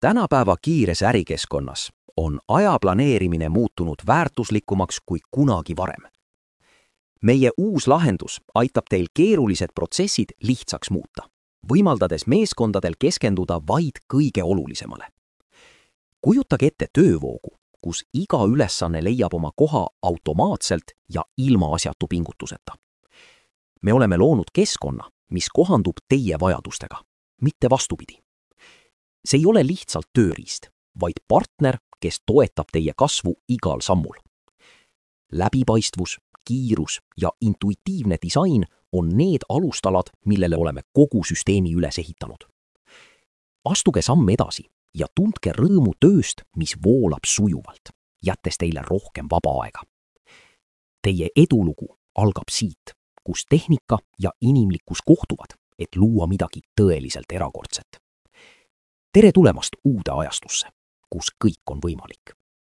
Tänapäeva kiires ärikeskkonnas on aja planeerimine muutunud väärtuslikumaks kui kunagi varem. Meie uus lahendus aitab teil keerulised protsessid lihtsaks muuta, võimaldades meeskondadel keskenduda vaid kõige olulisemale. Kujutage ette töövoogu, kus iga ülesanne leiab oma koha automaatselt ja ilma asjatu pingutuseta. Me oleme loonud keskkonna, mis kohandub teie vajadustega, mitte vastupidi. See ei ole lihtsalt tööriist, vaid partner, kes toetab teie kasvu igal sammul. Läbipaistvus, kiirus ja intuitiivne disain on need alustalad, millele oleme kogu süsteemi üles ehitanud. Astuge samm edasi ja tundke rõõmu tööst, mis voolab sujuvalt, jättes teile rohkem vaba aega. Teie edulugu algab siit, kus tehnika ja inimlikkus kohtuvad, et luua midagi tõeliselt erakordset. Tere tulemast uude ajastusse, kus kõik on võimalik.